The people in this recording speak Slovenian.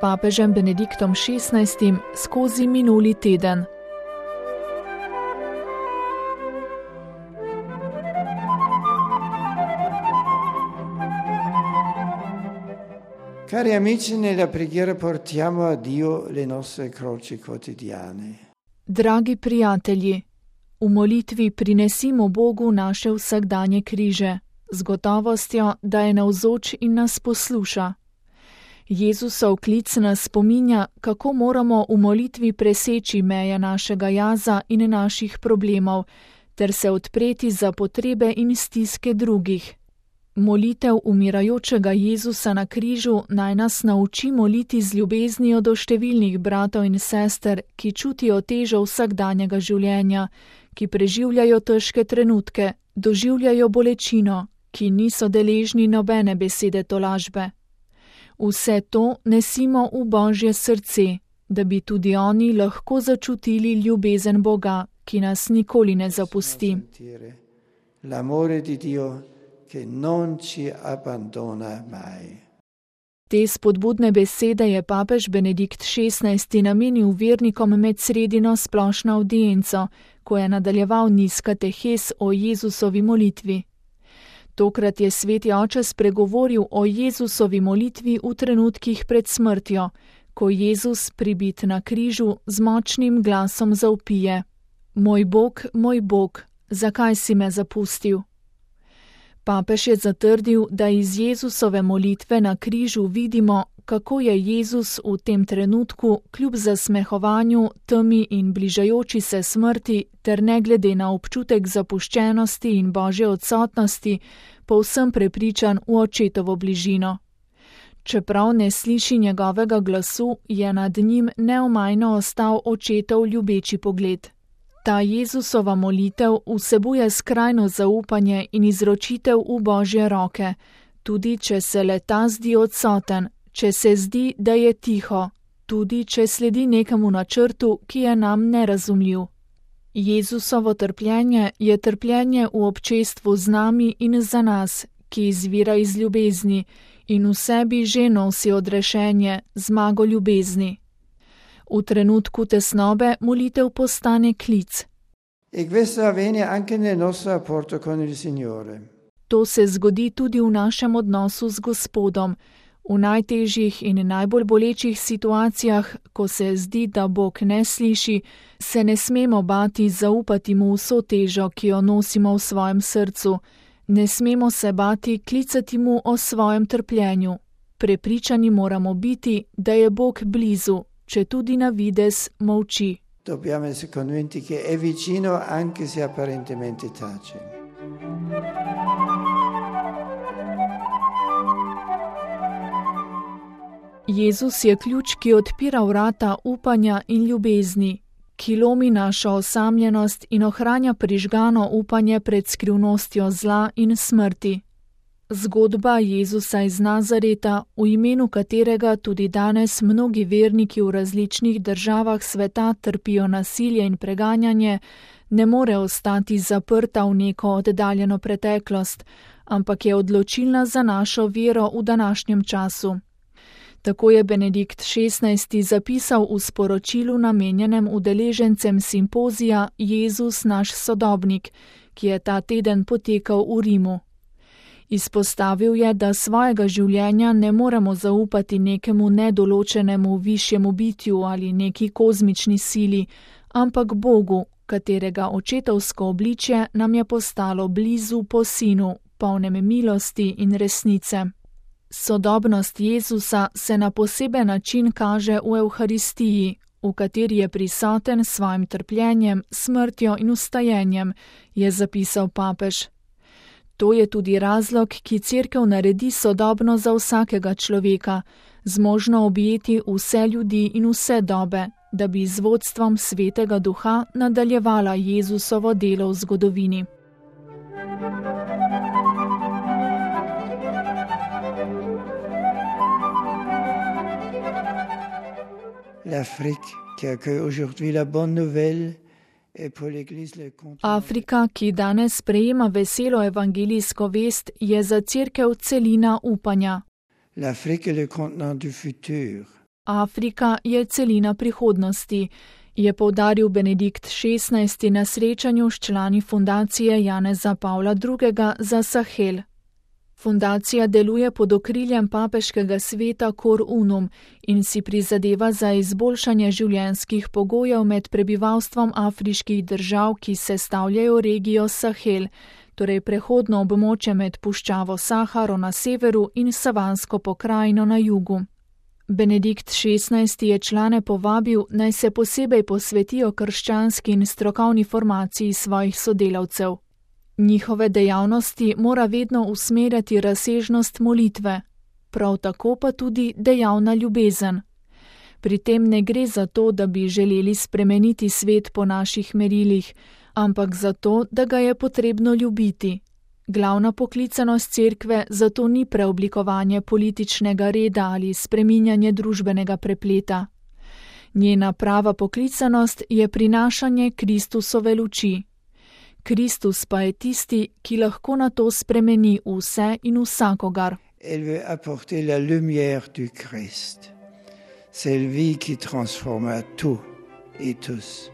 papežem Benediktom XVI skozi minuli teden. Cari amici, nella preghiera portiamo a Dio le nostre croci quotidiane. Dragi prijatelji, v molitvi prinesimo Bogu naše vsakdanje križe, z gotovostjo, da je navzoč in nas posluša. Jezusov klic nas spominja, kako moramo v molitvi preseči meje našega jaza in naših problemov, ter se odpreti za potrebe in stiske drugih. Molitev umirajočega Jezusa na križu naj nas nauči moliti z ljubeznijo do številnih bratov in sester, ki čutijo težo vsakdanjega življenja, ki preživljajo težke trenutke, doživljajo bolečino, ki niso deležni nobene besede tolažbe. Vse to nesimo v Božje srce, da bi tudi oni lahko začutili ljubezen Boga, ki nas nikoli ne zapusti. L'amore di Dio che non ci abbandona mai. Te spodbudne besede je papež Benedikt XVI namenil vernikom med sredino splošno avdienco, ko je nadaljeval niz katehes o Jezusovi molitvi. Tokrat je sveti oče spregovoril o Jezusovi molitvi v trenutkih pred smrtjo, ko Jezus pribit na križu z močnim glasom zavpije: moj Bog, zakaj si me zapustil? Papež je zatrdil, da iz Jezusove molitve na križu vidimo, kako je Jezus v tem trenutku, kljub zasmehovanju, temi in bližajoči se smrti, ter ne glede na občutek zapuščenosti in Božje odsotnosti, povsem prepričan v očetovo bližino. Čeprav ne sliši njegovega glasu, je nad njim neomajno ostal očetov ljubeči pogled. Ta Jezusova molitev vsebuje skrajno zaupanje in izročitev v Božje roke, tudi če se le-ta zdi odsoten, če se zdi, da je tiho, tudi če sledi nekemu načrtu, ki je nam nerazumljiv. Jezusovo trpljenje je trpljenje v občestvu z nami in za nas, ki izvira iz ljubezni in v sebi že nosi odrešenje, zmago ljubezni. V trenutku tesnobe molitev postane klic. E questo avviene anche nel nostro rapporto con il Signore. To se zgodi tudi v našem odnosu z Gospodom. V najtežjih in najbolj bolečih situacijah, ko se zdi, da Bog ne sliši, se ne smemo bati zaupati mu vso težo, ki jo nosimo v svojem srcu. Ne smemo se bati klicati mu o svojem trpljenju. Prepričani moramo biti, da je Bog blizu, če tudi na videz molči. Dobbiamo essere convinti che è vicino anche se apparentemente tace. Jezus je ključ, ki odpira vrata upanja in ljubezni, ki lomi našo osamljenost in ohranja prižgano upanje pred skrivnostjo zla in smrti. Zgodba Jezusa iz Nazareta, v imenu katerega tudi danes mnogi verniki v različnih državah sveta trpijo nasilje in preganjanje, ne more ostati zaprta v neko oddaljeno preteklost, ampak je odločilna za našo vero v današnjem času. Tako je Benedikt XVI zapisal v sporočilu namenjenem udeležencem simpozija Jezus naš sodobnik, ki je ta teden potekal v Rimu. Izpostavil je, da svojega življenja ne moremo zaupati nekemu nedoločenemu višjemu bitju ali neki kozmični sili, ampak Bogu, katerega očetovsko obličje nam je postalo blizu po Sinu, polnem milosti in resnice. Sodobnost Jezusa se na poseben način kaže v Evharistiji, v kateri je prisoten s svojim trpljenjem, smrtjo in vstajenjem, je zapisal papež. To je tudi razlog, ki Cerkev naredi sodobno za vsakega človeka, zmožno objeti vse ljudi in vse dobe, da bi z vodstvom Svetega Duha nadaljevala Jezusovo delo v zgodovini. Afrika, ki danes sprejema veselo evangelijsko vest, je za Cerkev celina upanja. Afrika je celina prihodnosti, je poudaril Benedikt XVI. Na srečanju s člani fundacije Janeza Pavla II. Za Sahel. Fundacija deluje pod okriljem papeškega sveta Cor Unum in si prizadeva za izboljšanje življenjskih pogojev med prebivalstvom afriških držav, ki sestavljajo regijo Sahel, torej prehodno območje med puščavo Saharo na severu in savansko pokrajino na jugu. Benedikt XVI. Je člane povabil, naj se posebej posvetijo krščanski in strokovni formaciji svojih sodelavcev. Njihove dejavnosti mora vedno usmerjati razsežnost molitve, prav tako pa tudi dejavna ljubezen. Pri tem ne gre za to, da bi želeli spremeniti svet po naših merilih, ampak za to, da ga je potrebno ljubiti. Glavna poklicanost cerkve zato ni preoblikovanje političnega reda ali spreminjanje družbenega prepleta. Njena prava poklicanost je prinašanje Kristusove luči. Kristus pa je tisti, ki lahko na to spremeni vse in vsakogar. Elle veut apporter la lumière du Christ. C'est lui qui transforme tout et tous.